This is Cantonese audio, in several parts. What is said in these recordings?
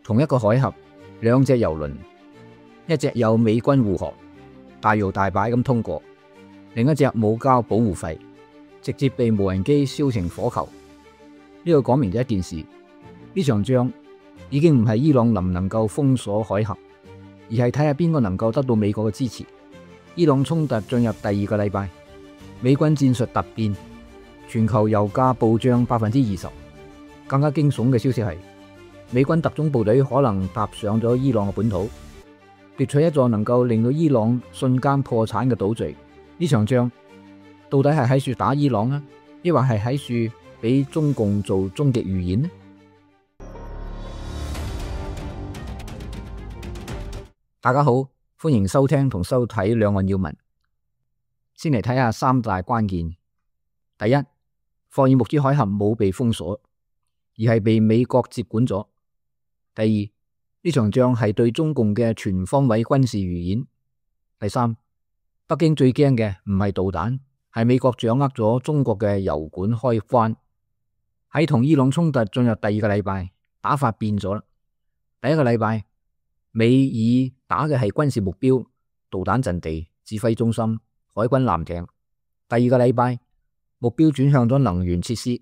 同一個海峽，兩隻油輪，一隻有美軍護航，大搖大擺咁通過，另一隻冇交保護費，直接被無人機燒成火球。呢個講明咗一件事，呢場仗已經唔係伊朗能唔能夠封鎖海峽，而係睇下邊個能夠得到美國嘅支持。伊朗衝突進入第二個禮拜，美軍戰術突變，全球油價暴漲20%。更加驚悚嘅消息係，美軍特種部隊可能踏上咗伊朗嘅本土，奪取一座能夠令到伊朗瞬間破產嘅島嶼。呢場仗到底係喺處打伊朗啊，抑或係喺處俾中共做終極預演呢？大家好，歡迎收聽同收睇兩岸要聞。先嚟睇下三大關鍵。第一，霍爾木茲海峽冇被封鎖，而係被美國接管咗。第二，呢場仗係對中共嘅全方位軍事預演。第三，北京最驚嘅唔係導彈，係美國掌握咗中國嘅油管開關。喺同伊朗衝突進入第二個禮拜，打法變咗啦。第一個禮拜，美以打嘅係軍事目標、導彈陣地、指揮中心、海軍艦艇。第二個禮拜，目標轉向咗能源設施。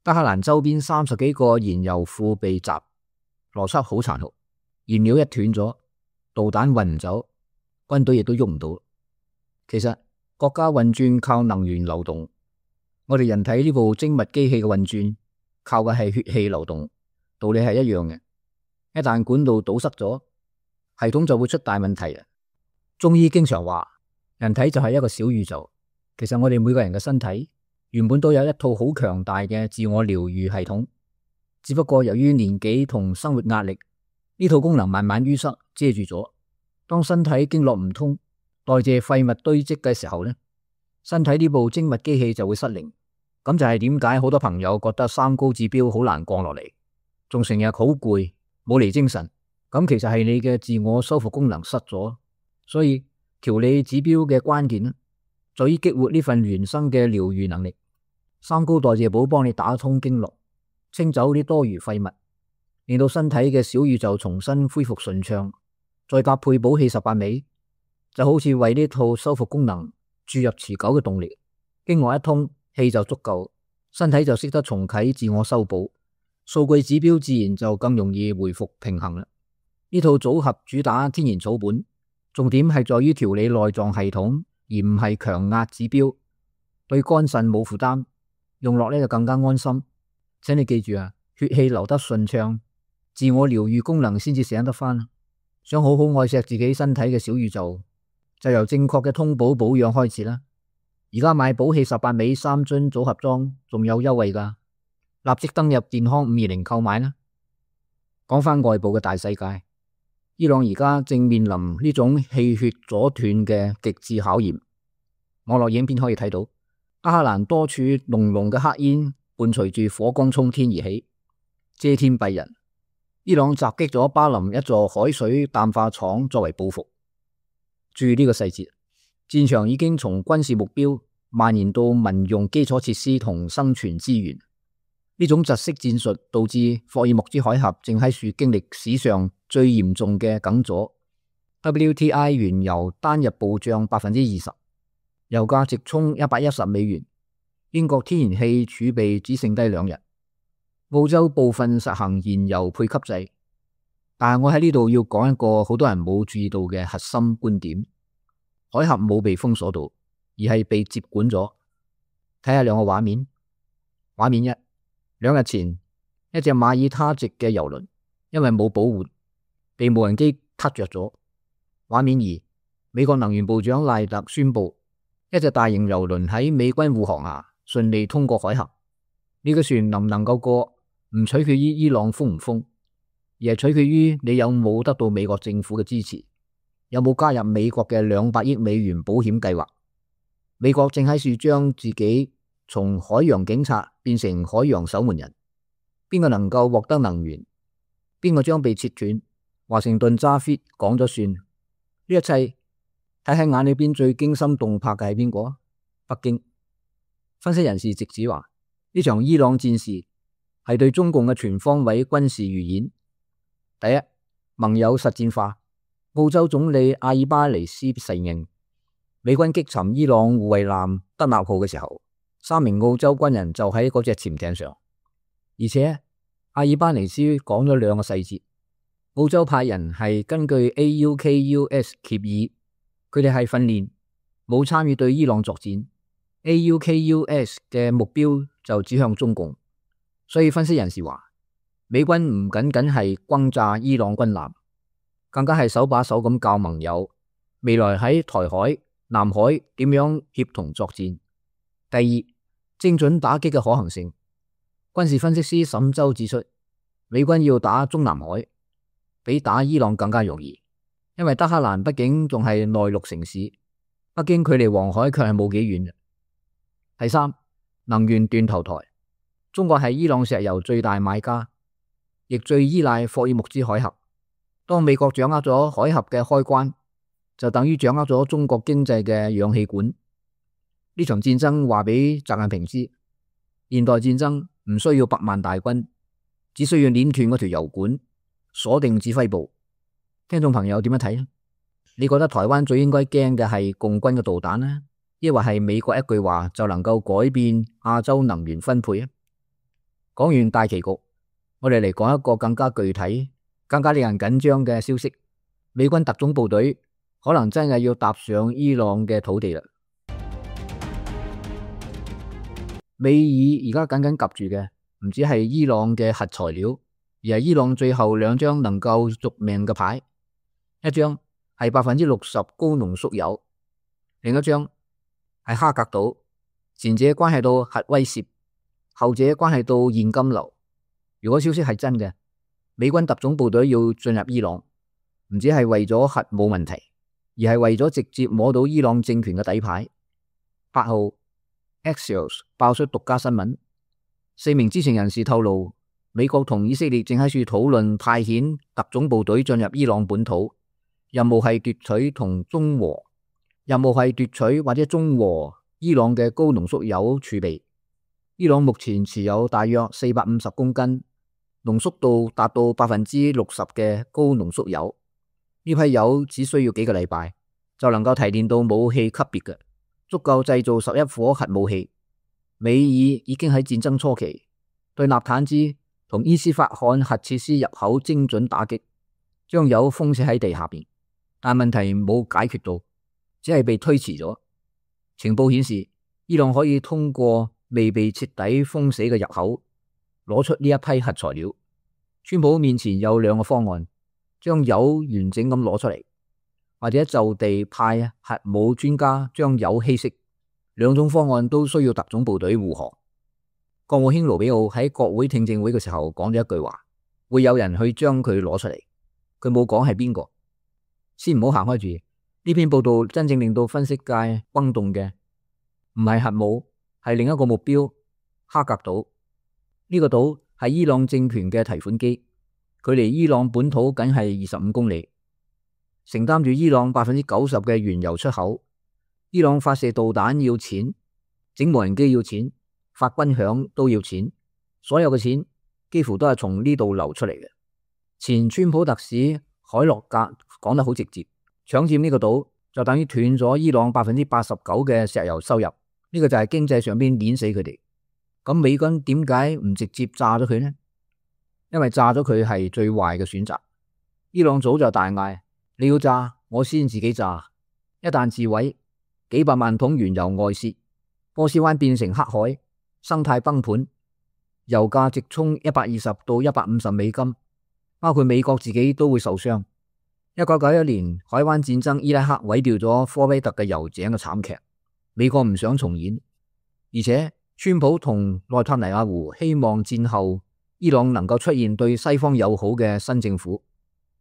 德黑蘭周邊30幾個燃油庫被襲，邏輯好殘酷。燃料一斷咗，導彈運唔走，軍隊亦都喐唔到。其實國家運轉靠能源流動，我哋人體呢部精密機器嘅運轉靠嘅係血氣流動，道理係一樣嘅。一旦管道堵塞咗，系統就會出大問題。中醫經常話，人體就係一個小宇宙。其實我哋每個人嘅身體原本都有一套好強大嘅自我療愈系統，只不過由於年紀同生活壓力，呢套功能慢慢淤塞遮住咗。當身體經絡唔通，代謝廢物堆積嘅時候呢，身體呢部精密機器就會失靈。咁就係點解好多朋友覺得三高指標好難降落嚟，仲成日好攰，冇嚟精神。咁其實係你嘅自我修復功能失咗。所以調理指標嘅關鍵呢，在於激活呢份原生嘅療愈能力。三高代謝寶幫你打通經絡，清走啲多餘廢物，令到身體嘅小宇宙重新恢復順暢。再搭配補氣18味，就好似為呢套修復功能注入持久嘅動力。經絡一通，氣就足夠，身體就識得重啟自我修補，數據指標自然就更容易回復平衡啦。呢套組合主打天然草本，重點係在於調理內臟系統，而唔係強壓指標，對肝腎冇負擔，用落呢就更加安心。請你記住啊，血氣流得順暢，自我療愈功能先至醒得返。想好好愛錫自己身體嘅小宇宙，就由正確嘅通補保養開始啦。而家買補氣18味3樽組合裝仲有優惠㗎，立即登入健康520購買啦。講返外部嘅大世界，伊朗而家正面臨呢種氣血阻斷嘅極致考驗。網絡影片可以睇到，德黑蘭多處濃濃嘅黑煙伴隨住火光衝天而起，遮天蔽日。伊朗襲擊咗巴林一座海水淡化廠作為報復。注意呢個細節，戰場已經從軍事目標蔓延到民用基礎設施同生存資源。呢種窒息戰術導致霍爾木茲海峽正喺處經歷史上最嚴重嘅梗阻。WTI 原油單日暴漲20%，油價直衝$110。英國天然氣儲備只剩低2日。澳洲部分實行燃油配給制。但係我喺呢度要講一個好多人冇注意到嘅核心觀點：海峽冇被封鎖到，而係被接管咗。睇下兩個畫面。畫面一，2日前一隻馬耳他籍嘅油輪因為冇保護，被無人機撻着咗。畫面二，美國能源部長賴特宣布，一隻大型油輪喺美軍護航下順利通過海峽。呢個船能唔能夠過，唔取決於伊朗封唔封，而係取決於你有冇得到美國政府嘅支持，有冇加入美國嘅200億美元保險計劃。美國正喺處將自己從海洋警察變成海洋守門人。邊個能夠獲得能源，邊個將被切斷。華盛頓揸 fit 講咗算。呢一切睇喺眼裏邊最驚心動魄嘅係邊個？北京。分析人士直指話，呢場伊朗戰事係對中共嘅全方位軍事預演。第一，盟友實戰化。澳洲總理阿爾巴尼斯承認，美軍擊沉伊朗護衛艦德納號嘅時候，3名澳洲軍人就喺嗰隻潛艇上，而且阿爾巴尼斯講咗2個細節。澳洲派人係根據 AUKUS 協議，佢哋係訓練，冇參與對伊朗作戰。AUKUS 嘅目標就指向中共，所以分析人士話，美軍唔僅僅係轟炸伊朗軍艦，更加係手把手咁教盟友未來喺台海、南海點樣協同作戰。第二，精準打擊嘅可行性。軍事分析師沈舟指出，美軍要打中南海，比打伊朗更加容易，因為德黑蘭畢竟仲係內陸城市，北京距離黃海卻係冇幾遠。第三，能源斷頭台。中國係伊朗石油最大買家，亦最依賴霍爾木茲海峽。當美國掌握咗海峽嘅開關，就等於掌握咗中國經濟嘅氧氣管。呢場戰爭話俾習近平知，現代戰爭唔需要100萬大軍，只需要捏斷嗰條油管，鎖定指揮部。聽眾朋友點樣睇呢？你覺得台灣最應該驚嘅係共軍嘅導彈呢，抑或係美國一句話就能夠改變亞洲能源分配啊？講完大棋局，我哋嚟講一個更加具體、更加令人緊張嘅消息。美軍特種部隊可能真係要踏上伊朗嘅土地啦。美爾而家緊緊夾住嘅唔止係伊朗嘅核材料，而係伊朗最後2張能夠續命嘅牌。一張係60%高濃縮鈾，另一張係哈格島。前者關係到核威懾，後者關係到現金流。如果消息係真嘅，美軍特種部隊要進入伊朗，唔止係為咗核武問題，而係為咗直接摸到伊朗政權嘅底牌。8號 Axios 爆出獨家新聞，4名知情人士透露，美國同以色列正喺處討論派遣特種部隊進入伊朗本土，任務係奪取或者中和伊朗嘅高濃縮鈾儲備。伊朗目前持有大約450公斤，濃縮度達到60%嘅高濃縮鈾。呢批鈾只需要幾個禮拜就能夠提煉到武器級別嘅，足夠製造11顆核武器。美爾已經喺戰爭初期對納坦茲同伊斯法罕核設施入口精準打擊，將鈾封死喺地下邊，但問題冇解決到，只係被推遲咗。情報顯示，伊朗可以通過未被徹底封死嘅入口攞出呢一批核材料。川普面前有2個方案，將鈾完整咁攞出嚟，或者就地派核武專家將鈾稀釋。2種方案都需要特種部隊護航。國務卿盧比奧喺國會聽證會嘅時候講咗一句話，會有人去將佢攞出嚟，佢冇講係邊個。先唔好行開住，呢篇報道真正令到分析界轟動嘅唔係核武，係另一個目標——哈格島。呢個島係伊朗政權嘅提款機，距離伊朗本土僅係25公里，承擔住伊朗90%嘅原油出口。伊朗發射導彈要錢，整無人機要錢，發軍餉都要錢，所有嘅錢幾乎都係從呢度流出嚟嘅。前川普特使海洛格講得好直接，搶佔呢個島就等於斷咗伊朗89%嘅石油收入，呢個就係經濟上邊碾死佢哋。咁美軍點解唔直接炸咗佢呢？因為炸咗佢係最壞嘅選擇。伊朗早就大嗌，你要炸我先自己炸，一旦自毀，幾百萬桶原油外泄，波斯灣變成黑海，生態崩盤，油價直衝120到150美金，包括美國自己都會受傷。1991年海灣戰爭，伊拉克毀掉咗科威特嘅油井嘅慘劇，美國唔想重演，而且川普同內塔尼亞胡希望戰後伊朗能夠出現對西方友好嘅新政府，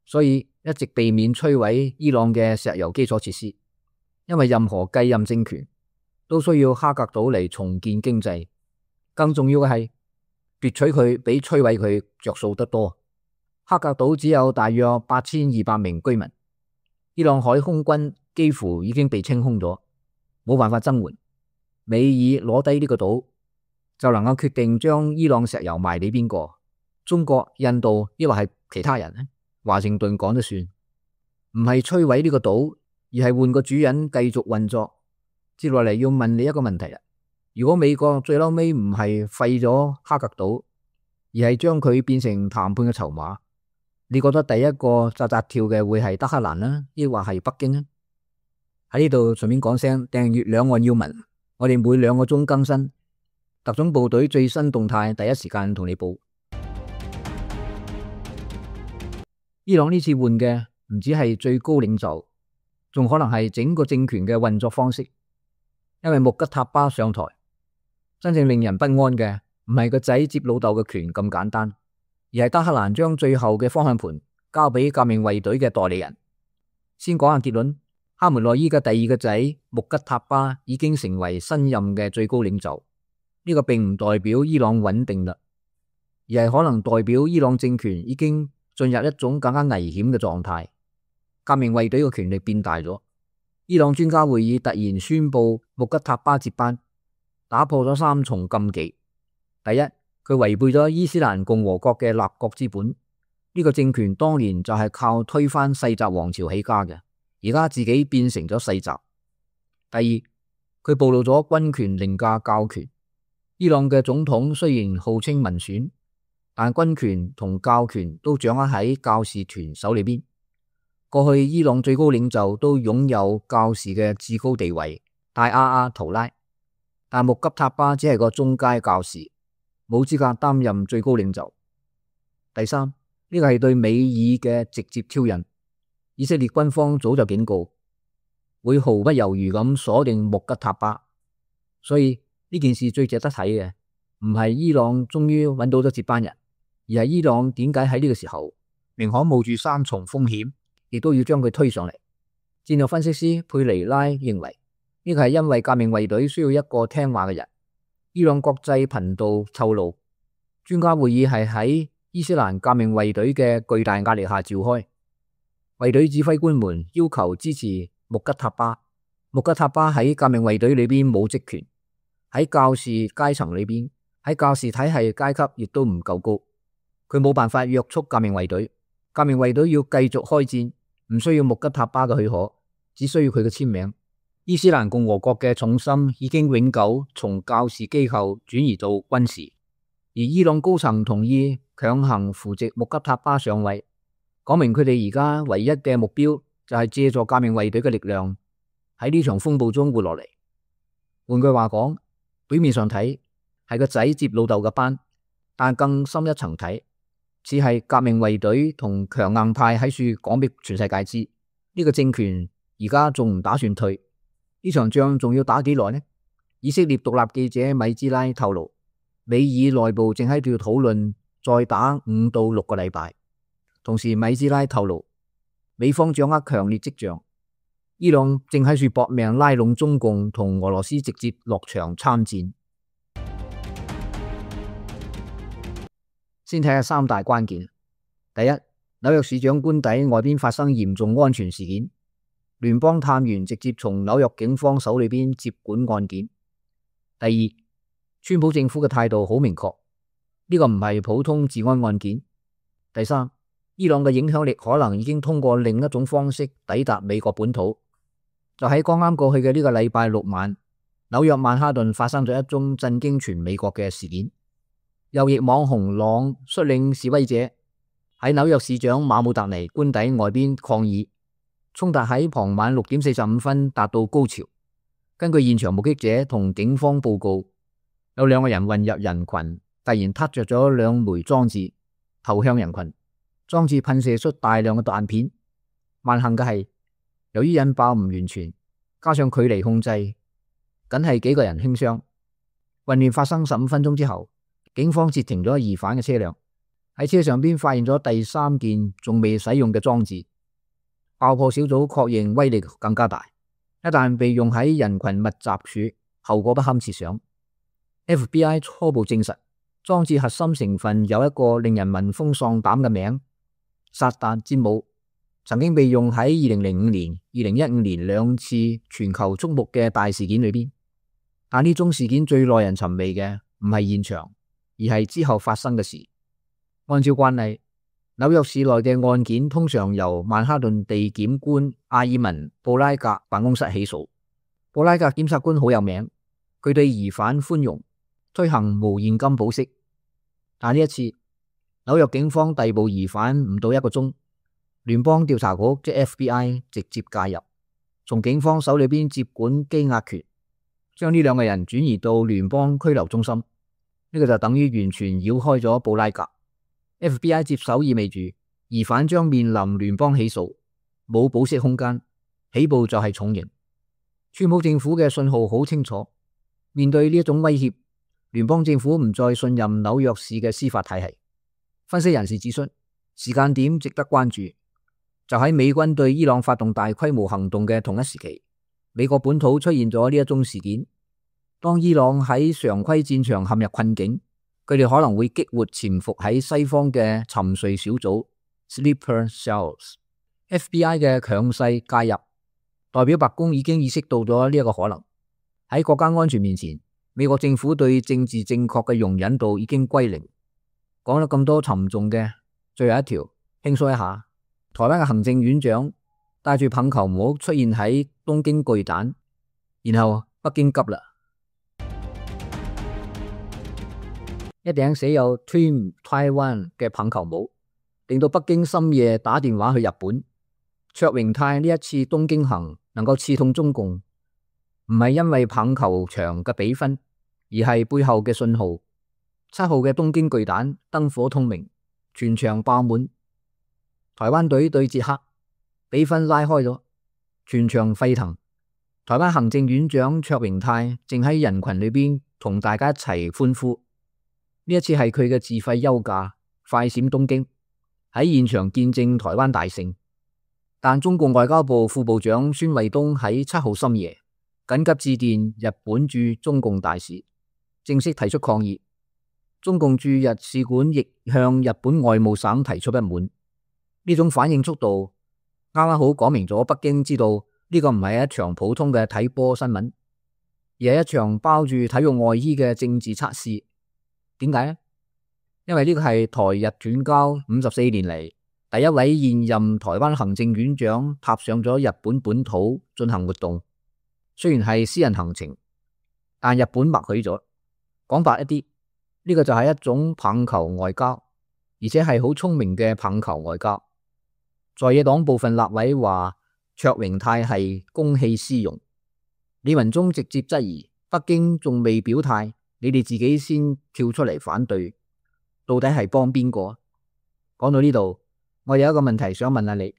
所以一直避免摧毀伊朗嘅石油基礎設施。因為任何繼任政權都需要哈格島嚟重建經濟，更重要嘅係奪取佢比摧毀佢着數得多。哈格島只有大約8200名居民，伊朗海空軍幾乎已經被清空咗，冇辦法增援。美爾攞低呢個島就能夠決定將伊朗石油賣俾邊個，中國、印度抑或係其他人呢？華盛頓講得算，唔係摧毀呢個島，而係換個主人繼續運作。接落嚟要問你一個問題啦，如果美國最嬲尾唔係廢咗哈格島，而係將佢變成談判嘅籌碼，你覺得第一個扎扎跳嘅會係德黑蘭啦，抑或係北京呢？喺呢度順便講聲訂閱兩岸要聞，我哋每2個鐘更新，特種部隊最新動態第一時間同你報。伊朗呢次換嘅唔止係最高領袖，仲可能係整個政權嘅運作方式。因為穆吉塔巴上台，真正令人不安嘅唔係個仔接老豆嘅權咁簡單，而係德黑蘭將最後嘅方向盤交俾革命衛隊嘅代理人。先講下結論，哈梅內伊嘅第2個仔穆吉塔巴已經成為新任嘅最高領袖。呢個並唔代表伊朗穩定啦，而係可能代表伊朗政權已經進入一種更加危險嘅狀態。革命衛隊嘅權力變大咗。伊朗專家會議突然宣布穆吉塔巴接班，打破咗3重禁忌。第一，佢違背咗伊斯蘭共和國嘅立國之本，呢個政權當年就係靠推翻世襲王朝起家嘅，而家自己變成咗世襲。第二，佢暴露咗軍權凌駕教權。伊朗嘅總統雖然號稱民選，但軍權同教權都掌握喺教士團手裏邊。過去伊朗最高領袖都擁有教士嘅至高地位，大阿阿圖拉，但穆吉塔巴只係個中階教士，冇資格擔任最高領袖。第三，呢個係對美以嘅直接挑釁。以色列軍方早就警告，會毫不猶豫咁鎖定穆吉塔巴。所以呢件事最值得睇嘅唔係伊朗終於揾到咗接班人，而係伊朗點解喺呢個時候寧可冒住3重風險，亦都要將佢推上嚟。戰略分析師佩尼拉認為，呢個係因為革命衛隊需要一個聽話嘅人。伊朗國際頻道透露，專家會議係喺伊斯蘭革命衛隊嘅巨大壓力下召開。衛隊指揮官們要求支持穆吉塔巴。穆吉塔巴喺革命衛隊裏邊冇職權，喺教士階層裏邊，喺教士體系階級亦都唔夠高，佢冇辦法約束革命衛隊。革命衛隊要繼續開戰，唔需要穆吉塔巴嘅許可，只需要佢嘅簽名。伊斯蘭共和國嘅重心已經永久從教士機構轉移到軍事，而伊朗高層同意強行扶植穆吉塔巴上位，講明佢哋而家唯一嘅目標就係借助革命衛隊嘅力量喺呢場風暴中活落嚟。換句話講，表面上睇係個仔接老豆嘅班，但更深一層睇，似係革命衛隊同強硬派喺處講俾全世界知，呢個政權而家仲唔打算退，呢場仗仲要打幾耐呢？以色列獨立記者米茲拉透露，美以內部正喺度討論再打5到6個禮拜。同時米茲拉透露，美方掌握強烈跡象，伊朗正喺處搏命拉攏中共同俄羅斯直接落場參戰。先睇下3大關鍵。第一，紐約市長官邸外邊發生嚴重安全事件，聯邦探員直接從紐約警方手裏邊接管案件。第二，川普政府嘅態度好明確，呢個唔係普通治安案件。第三，伊朗嘅影響力可能已經通過另一種方式抵達美國本土。就喺剛啱過去嘅呢個禮拜6晚，紐約曼哈頓發生咗一宗震驚全美國嘅事件。右翼網紅朗率領示威者喺紐約市長馬姆達尼官邸外邊抗議，衝突喺傍晚6點45分達到高潮。根據現場目擊者同警方報告，有2個人混入人群，突然撻着咗2枚裝置，投向人群。裝置噴射出大量嘅彈片。萬幸嘅係，由於引爆唔完全，加上距離控制，僅係幾個人輕傷。混亂發生15分鐘之後，警方截停咗疑犯嘅車輛，喺車上邊發現咗第3件仲未使用嘅裝置。爆破小組確認威力更加大，一旦被用喺人群密集處，後果不堪設想。FBI 初步證實，裝置核心成分有一個令人聞風喪膽嘅名——薩達詹姆，曾經被用喺2005年、2015年2次全球矚目嘅大事件裏邊。但呢宗事件最耐人尋味嘅唔係現場，而係之後發生嘅事。按照慣例，紐約市內嘅案件通常由曼哈頓地檢官阿爾文布拉格辦公室起訴。布拉格檢察官好有名，佢對疑犯寬容，推行無現金保釋。但呢一次，紐約警方逮捕疑犯唔到1個鐘，聯邦調查局即 FBI 直接介入，從警方手裏邊接管羈押權，將呢2個人轉移到聯邦拘留中心。呢個就等於完全繞開咗布拉格。FBI 接手意味住疑犯將面臨聯邦起訴，冇保釋空間，起步就係重刑。川普政府嘅信號好清楚，面對呢一種威脅，聯邦政府唔再信任紐約市嘅司法體系。分析人士指出，時間點值得關注，就喺美軍對伊朗發動大規模行動嘅同一時期，美國本土出現咗呢一宗事件。當伊朗喺常規戰場陷入困境，佢哋可能會激活潛伏喺西方嘅沉睡小組 Sleeper Cells。FBI 嘅強勢介入，代表白宮已經意識到咗呢一個可能。喺國家安全面前，美國政府對政治正確嘅容忍度已經歸零。講咗咁多沉重嘅，最後一條輕鬆一下。台灣嘅行政院長戴住棒球帽出現喺東京巨蛋，然後北京急啦，一頂寫有 Team Taiwan 嘅棒球帽，令到北京深夜打電話去日本。卓榮泰呢一次東京行能夠刺痛中共，唔係因為棒球場嘅比分，而係背後嘅信號。7號嘅東京巨蛋燈火通明，全場爆滿。台灣隊對捷克，比分拉開咗，全場沸騰。台灣行政院長卓榮泰正喺人群裏邊同大家一齊歡呼。呢一次係佢嘅自費休假，快閃東京，喺現場見證台灣大勝。但中共外交部副部長孫衛東喺7號深夜緊急致電日本駐中共大使，正式提出抗議。中共駐日使館亦向日本外務省提出不滿。呢種反應速度啱啱好講明咗北京知道呢個唔係一場普通嘅睇波新聞，而係一場包住體育外衣嘅政治測試。點解呢？因為呢個係台日斷交54年嚟第一位現任台灣行政院長踏上咗日本本土進行活動，雖然係私人行程，但日本默許咗。講白一啲，呢個就係一種棒球外交，而且係好聰明嘅棒球外交。在野黨部分立委話卓榮泰係公器私用，李文忠直接質疑北京仲未表態，你哋自己先跳出嚟反對，到底係幫邊個？講到呢度，我有一個問題想問下你，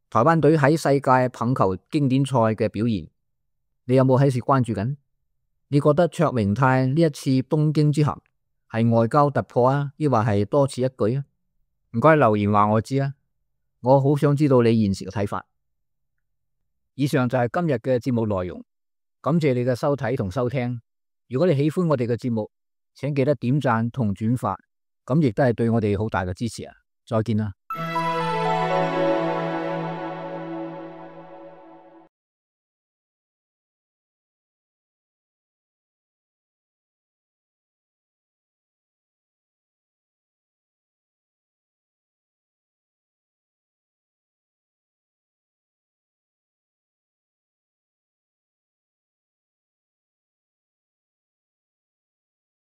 台灣隊喺世界棒球經典賽嘅表現，你有冇喺時關注緊？你覺得卓榮泰呢一次東京之行係外交突破啊，抑或係多此一舉啊？唔該留言話我知啊，我好想知道你現時嘅睇法。以上就係今日嘅節目內容，感謝你嘅收睇同收聽。如果你喜歡我哋嘅節目，請記得點讚同轉發，咁亦都係對我哋好大嘅支持啊！再見啦。